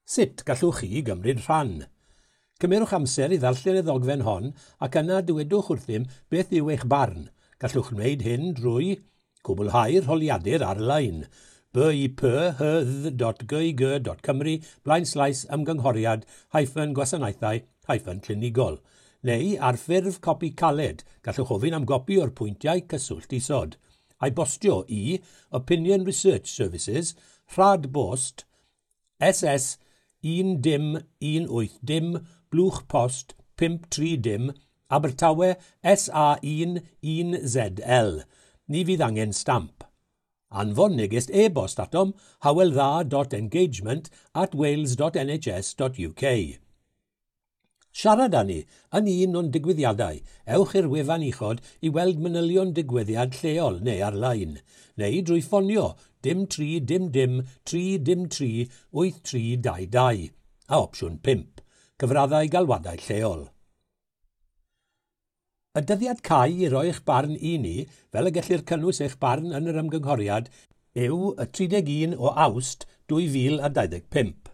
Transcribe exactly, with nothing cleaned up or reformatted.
Sut gallwch chi gymryd rhan? Cymerwch amser i ddarllen y ddogfen hon ac yna dywedwch wrthym beth yw eich barn. Gallwch wneud hyn drwy cwblhau'r holiadur ar-lein b i p h dot g g dot cymru blaenslaes ymgynghoriad hyphen gwasanaethau hyphen clinigol, neu ar ffurf copi caled, gallwch ofyn am gopi o'r pwyntiau cyswllt isod, a'i bostio i Opinion Research Services, Rhad Bost, S S un dim un wyth dim, Blwch Post pump tri dim, Abertawe S A un un Z L. Ni fydd angen stamp. Anfon neges e-bost atom hyweldda dot engagement at wales dot N H S dot U K. Siarad â ni yn un o'n digwyddiadau. Ewch i'r wefan uchod i weld manylion digwyddiad lleol neu ar-lein, neu drwy ffonio dim tri dim dim tri dim tri wyth tri dau dau a opsiwn pump, cyfraddau galwadau lleol. Y dyddiad cau i roi'ch barn i ni, fel y gellir cynnwys eich barn yn yr ymgynghoriad, yw y tri deg un o Awst dwy fil a dau ddeg pump.